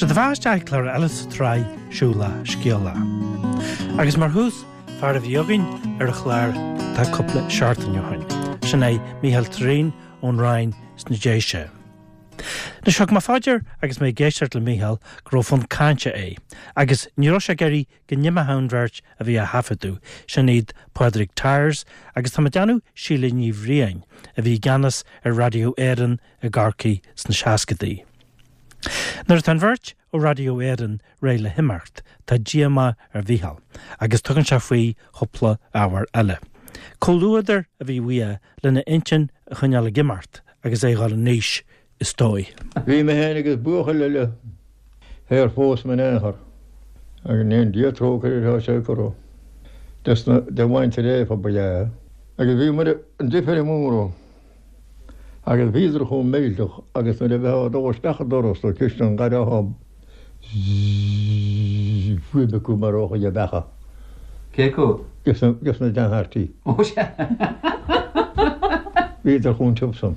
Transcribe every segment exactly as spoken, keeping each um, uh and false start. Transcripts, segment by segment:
Seo daoibh isteach clár eile sa tsraith Siúlach Scéalach. Agus mar thús, fear a bhí againn ar an chlár tá cúpla seachtain ó shin. Sin é Mícheál Threain ón Rinn sna Déise. Anois thug mé fá dear agus mé ag éisteacht le Mícheál go raibh fonn cainte air, agus ní raibh sé ag iarraidh go n-imeodh an bheirt a bhí á thaifeadadh, sin iad Pádraig Tyers agus tá mé ag déanamh Síle Ní Bhriain a bhí i gceannas ar Raidió Éireann i gCorcaigh sna seascadaí. Nuair atá an bheirt ó Raidió Éireann réidh le himeacht, tá díomá ar Mhícheál, agus tugann sé faoi chúpla ábhar eile. Comhluadar a bhí uaidh lena intinn a choinneáil ag imeacht agus é ag dul in aois is dóigh. Bhí mé féin agus buachaill eile ar phós mé in aon chor, agus ní an Dia trócaire atá sé curtha desna de mhuintir Éabha ba ea é. Agus bhí muid an difear mór agus bhíodar chomh millteach agus nuair a bheifeá ag dul isteach an doras nó cistin an ghairtheá zzzz fuaim acu mar óchaidh a beacha. Cé acu? Gus na deartháirí. Ó sea. Bhíodar chomh tiubh san.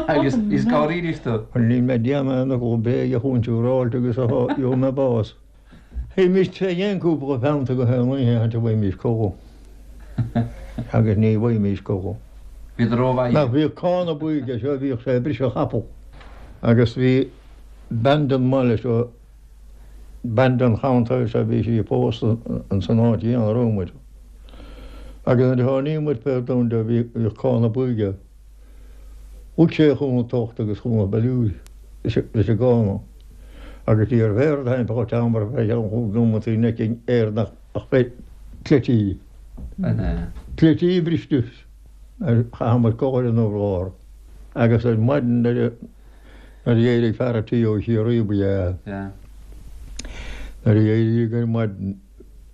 Agus is gáirídís tú. Níl mé ag déanamh aon fhocal bréige a chúinsiúráilte agus a gheobhaidh mé bás. Théimis tré aon cúpla peannta go haon oíche a bhfaighimís cogadh. Agus ní bhfaighimís cogadh. Bhíodar rómhaith. Nach bhíodh cána buí aige seo bhíodh sé ag briseadh capall. Agus bhí bean den mbaile seo, bean den cheantar seo, bhí sí pósta ins an áit chéanna a raibh muid. Agus nuair a tháinig muid fé domhan de bhíodh cána buí aige. Thug sé chun an tocht agus chun an bailiúir leis an gcána. Agus ní raibh aon rud thimpeall an tseomra fé cheann chúig nóimeataí in aici air nach ach fé cleití. Cleití briste ar chaith muid codladh ar an urlár. Agus ar maidin nuair a d'éirigh fear an tí ó Chiarraí ba ea é. Nuair a d'éirigh ar maidin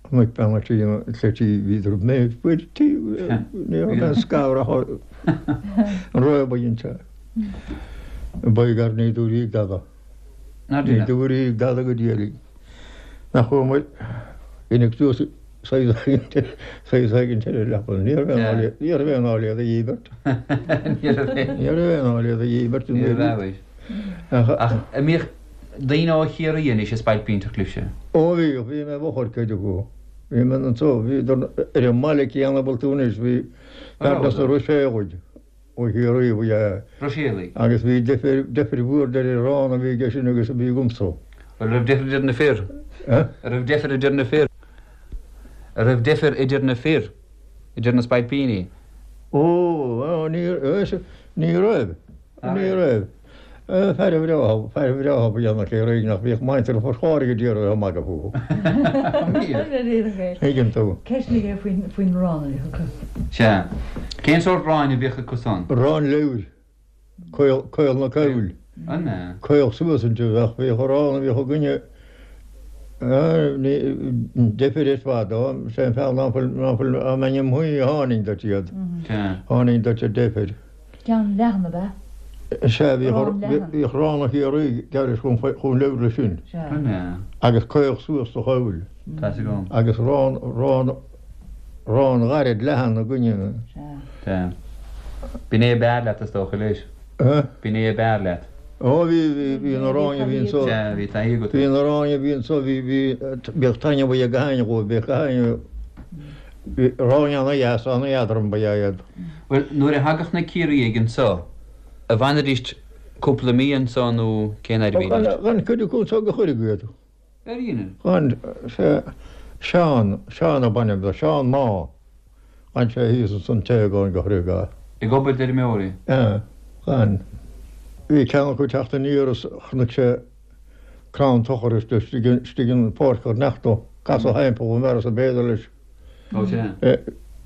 chonaic bean an tí na cleití bhíodar méid faoi tí ní raibh aon scamhar an réabadh inti. Ba gar ní dúirí dada. Ní dúirí dada go diaidh. Nach bhfuair muid inniu suas saghas éigin ar an leaba. Ní raibh aon ní raibh aon áiléad a dhíbirt. Ní raibh Ní raibh aon áiléad a dhíbirt. Ní raibh. Ach an mbíodh daoine ó Chiarraí anois is spailpínteach libhse? Ó bhí, bhí mé i bhfochair cuid acu. Bhí mé anso, bhí ar an mbaile céanna a bhfuil tú anois, bhí fear des na Ruiséalaigh ó Chiarraí ba ea é. Ruiséalaigh. Agus bhí deifir deifir mhór idir an arán a bhí aige sin agus a bhí agamsa. An raibh deifir idir na fir? Eh? An raibh deifir idir na fir? An raibh deifir idir na fir? Idir na spailpíní? Ó, ó, ní ní raibh, ní raibh. Fear bhreá, fear bhreá ba ea na Ciarraígh nach bhíodh muintir Phort Láirge d'iarraidh a magadh fúthu. Tuigeann tú. Ceist aige faoin faoin arán a bhíodh acu. Sea. Cén sórt aráin a bhíodh acu san? Arán leabhair, caol caol na caoil. An ea? Caol suas inti ach bhíodh arán a bhíodh againne deifir ar fad ó, sé an fear ná fuil ná fuil á mbeinn im shuí a tháinig duit iad. Sea. Tháinig duit a deifir. Ceann leathan ab ea? Sea, bhíodh Arán leathan. bhíodh arán ó Chiarraí gearr chun chun leabhair leis sin. Sea. An ea? Agus caol suas sa choill. Tá's agam. Agus arán arán arán ghairid leathan againne. Sea. Sea. B'in é ab fhearr leat is dócha leis. Eh? B'in é ab fhearr leat. Ó bhí bhí bhí an aráin a bhí anso. Sea, bhí taithí agat. Bhí an aráin a bhí anso bhí bhí bhíodh taitneamh ag gach éinne dhóibh, bhíodh gach éinne bhí aráin ana-dheas ana-eadrom ba ea iad. Bhuel, nuair a thagadh na Ciarraígh anso, an bhfanfaidís cúpla mí anso nó cén fhad a bhídís? D'fhan cuid acu anso go chuirfeadh iad. Ar aoine? D'fhan sé Seán, Seán ab ainm dó, Seán Má. D'fhan sé thíos ansan téagáin go chuirfeadh é. Ag obair d'fheirmeoirí? Ea, d'fhan. Bhí ceann acu ag teacht aniar is chonaic sé crann tochair istigh istigh in páirc ar neachta, casadh thimpeall an bhfear is ab fhéidir leis. Ó sea.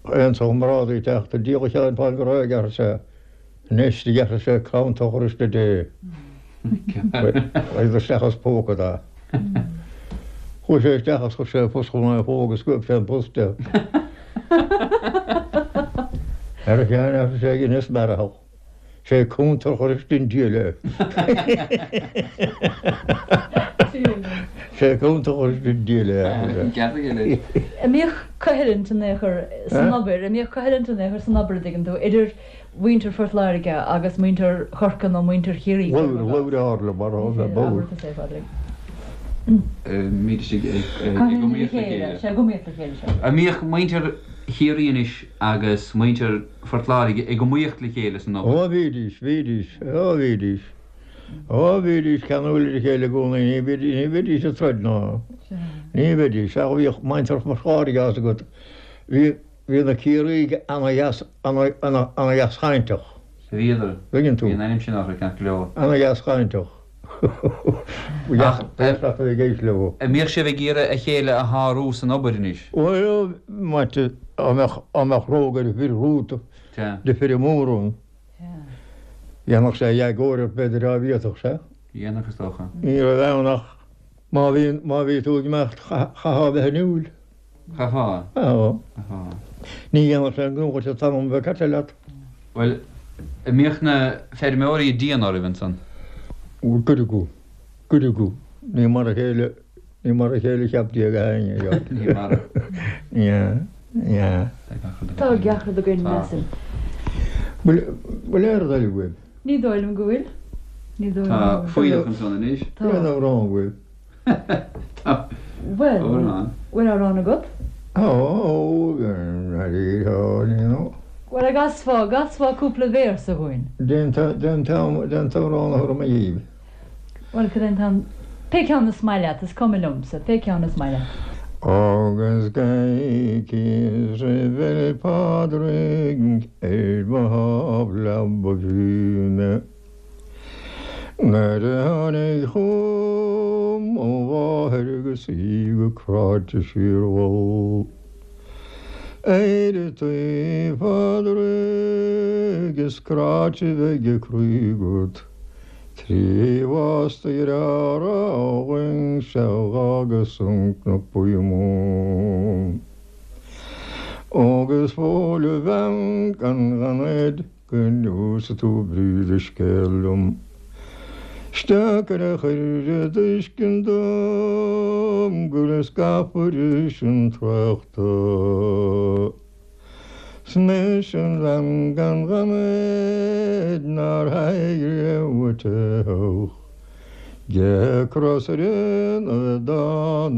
Aon chomrádaí ag teacht, a díol a Sheáin fán go raibh ag sé. Anois do ghearrfaidh sé crann tochair istigh dé. Chuaigh isteach as póca dá. Chuaigh sé isteach agus chuir sé a phus chun an phóg agus scuab sé an pus de. Ar a Sheáin arsa sé ag Inis Mearathach. Sé cúntar chur istigh an diail é. Sé cúntar chur istigh an diail é. An mbíodh coimhlint in aon chor san obair, an mbíodh coimhlint in aon chor san obair, an dtuigeann tú, idir mhuintir Phort Láirge agus muintir Chorcaí nó muintir Chiarraí? Labhair, labhair ard le mar a bheith bór. Abair é, Pádraig. Mbídís ag iomaíocht le chéile. Sea, ag iomaíocht le chéile, sea. An mbíodh muintir Chiarraí anois agus muintir Phort Láirge ag iomaíocht le chéile san obair? Ó bhídís, bhídís, ó bhídís. Ó bhídís ceanúil ar a chéile i gcónaí, ní bhídís, ní bhídís ag troid ná. Ní bhídís, ach bhíodh muintir Phort Láirge as agat. Bhí, bhí na Ciarraígh ana-dheas, ana, ana, ana-dheaschainteach. Bhíodar. Tuigeann tú. Bhí an ainm sin orthu ceart go leor. Ana-dheaschainteach. Ach, Ach ag leo. An mbíodh sibh ag iarraidh a chéile a shárú san obair anois? Bhuel, maite, dá mbeadh, dá mbeadh rógaire fir rúta Sea. de fir mór ann. Dhéanfadh sé éagóir ort b'fhéidir dá bhféadfadh sé. Dhéanfadh is dócha. Ní raibh ann ach má bhí, má bhí tú ag imeacht chaithfeá a bheith inniúil. Chaithfeá. Á. Chaithfeá. Ní dhéanfadh sé an gnó dhuit an t-am a bheith caite leat. Bhuel, an mbíodh na feirmeoirí dian oraibh ansan? Cuid acu, cuid acu. Ní mar a chéile, ní mar a chéile cheap Dia go héinne. Ní mar. Ní hea, ní hea. Tá gach rud againn, measaim. Bhfuil, bhfuil aon rud eile uaibh? Ní dóigh liom go bhfuil. Ní dóigh Tá liom go bhfuil. fuílleach ansan anois. Tá. Bhfuil aon amhrán uaibh? Tá. Bhuel, Amhrán. bhfuil amhrán agat? Ó, ó, ní nó. Bhuel, an gcasfá, gcasfá cúpla véarsa dhúinn. Cén t-amhrán a thabharfaidh mé dhíbh. Bhuel, cad é an t-am, pé ceann is maith leat, is cuma liomsa, pé ceann is maith leat. Agus coicís roimh Fhéile Pádraig ar mo thábla ba bhí mé. Nuair a tháinig chugam mo mháthair agus í go cráite síormhall. Éireoidh tú a Phádraig is cráite bheidh a croí agat. Trí bhás do dhearthára againn sea agus an Cnoc Buí mór. Agus fóill a bhean gan ghanfhios go neosfaidh tú brí do scéil liom. Isteach ar a chuir i dtuiscint dom go bhfuil scafaire sin tráchta. 'S mise an bhean gan ghanfhios nár théigh riamh a teitheadh. Ge cros ar an ardán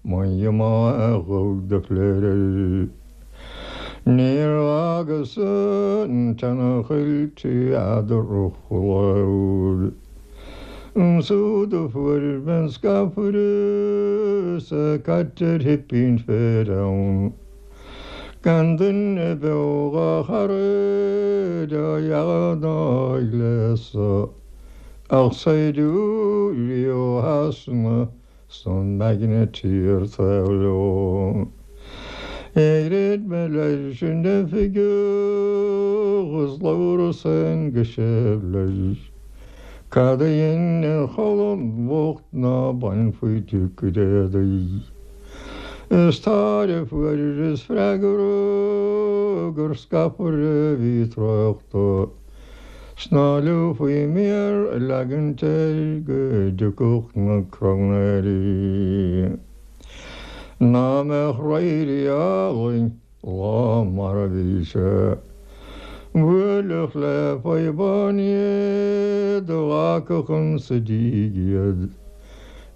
mo mhaith do chléir. Níor fhágas an tseana-choill trí eadar-chulad. Siúd a fuair mé an scafaire 's é caite ar chipín féir ann. Gan duine beo dhá chara dá dhealbh ná a ghléasadh, ach saighdiúirí ó Shasana 's an magneteer taobh leo. Dhruid mé leis an oifigeach is labhras féin go séimh leis. Cad a dhein an cholainn bhocht ná bainfí di cuid éadaí. Is tar a fuaireas freagra gur scafaire a bhí tráchta. 's ná luafaí méar a leagaint air go dtiocfadh na cróinéirí. Ná mbeadh raoirí álainn lá mar a bhí sé. Bhuailfeadh le fadhbanna iad a ghlacfadh insa díg iad.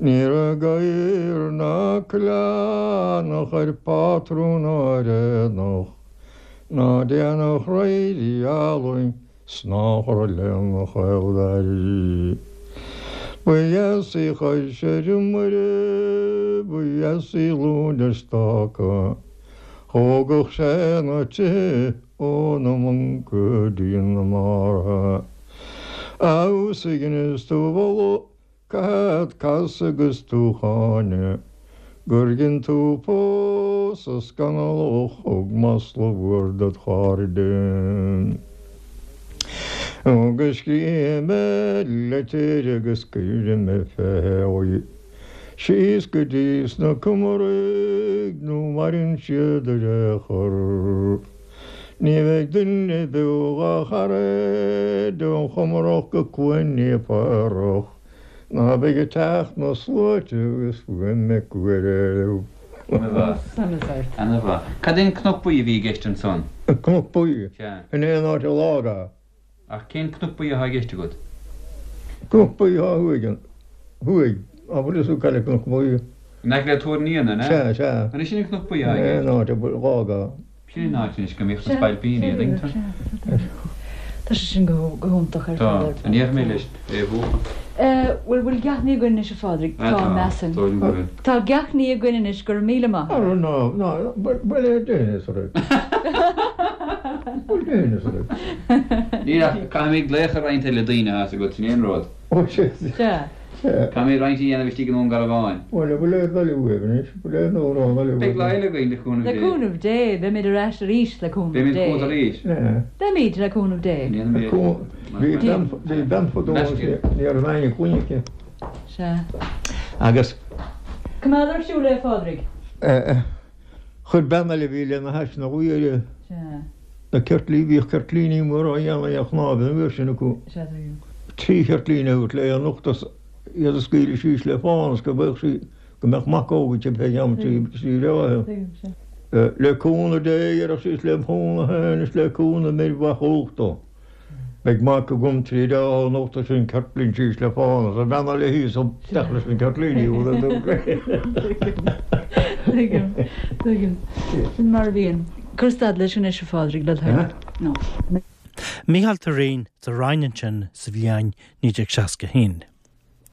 Ní raibh gadhar ná coileán a chuir pátrún áiréanach, ná déanfadh raoirí álainn 's ná chur lena chaoldair. Ba dheas í chois ar an Muire, ba dheas í glúin ar stáca, thógadh sé na tithe óna mbun go dtí na mbarra. Abhus a dheineas tú mholadh, caithfead casadh agus tú cháineadh, gur dhein tú pósadh scannalach thug masla mhór dod chairde. Agus scríobh mé litir agus cuirfidh mé fé síos go dtí sna Comaraigh nó maireann siad ar aon chor. Ní bheidh duine beo dhá chara ón Chomarach go Cluain Naomh Padraig ná beidh ag teacht na sluaite agus fuaim ag cuireadh. Sonas ort. Ana-mhaith. Cad é an Cnoc Buí a bhí i gceist ansan? An Cnoc Buí Sea. in aon áit a lága. Ach cén Cnoc Buí atá i gceist agat? Cnoc Buí atá thuaidh thuaidh An bhfuil fhios agat cá bhfuil Cnoc Buí? In aice le Tuar an Fhíona, an ea? Sea, sea. An é sin an Cnoc Buí atá i gceist? An áit a bhfuil dhá ga. Sin an áit anois go mbíodh na spailpíní, an dtuigeann tú? Tá sé sin go hiontach ar Tá. fad. An ndéarfaidh mé leis é a mhúchadh? Bhuel, bhfuil gach ní againn anois, a Phádraig? Ah, Tá, tá. measaim. Dóigh liom go bhfuil. Tá gach ní againn anois, go raibh míle maith Ara agat. ná, ná, bhuel é déan is rud. Bhuel déan is rud. Níl ach caithfimid glaoch ar roinnt eile daoine atá agat, sin é an rud. Ó, sea. Sea. Sea. Caithfimid roinnt a dhéanamh istigh i nDún Garbhán. Bhuel, bhfuil aon dul uaibh anois, bhfuil aon dul uaibh anois? Beidh lá eile againn le cúnamh Le Dé. cúnamh Dé, beimid ar ais arís le cúnamh Beimid Dé. chugat arís. Sea. Beimid le cúnamh Dé. Déanfaimid. Bhí bean, bhí bean fadó ní raibh éinne clainne aici. Sea. Agus. Coimeád ar siúl é, a Phádraig. Chuir bean eile a bhí lena hais ina luí uirthi. Sea. Na ceirtlí, bhíodh ceirtlíní móra á dhéanamh ar chnámh an uair sin acu. Sea, tuigim. Trí cheirtlín a thabhairt léi anocht is iad a scaoileadh síos le fána is go mbeadh sí, go mbeadh mac óg aici pé am trí, trí reoithe. Tuigim, sea. Le cúnamh Dé, a deireadh sí, is lem chúnamh féin is le cúnamh m'fhir mhaith uchta. Beidh mac agam trí reoithe anocht is an ceirtlín síos le fána is an bhean eile thíos isteach leis na ceirtlíní Tuigim, tuigim. Sin mar a bhíonn. Cuir stad leis anois a Phádraig le do thoil. Mícheál Turraoin sa Rinn ansin sa bhliain naoi déag seasca haon.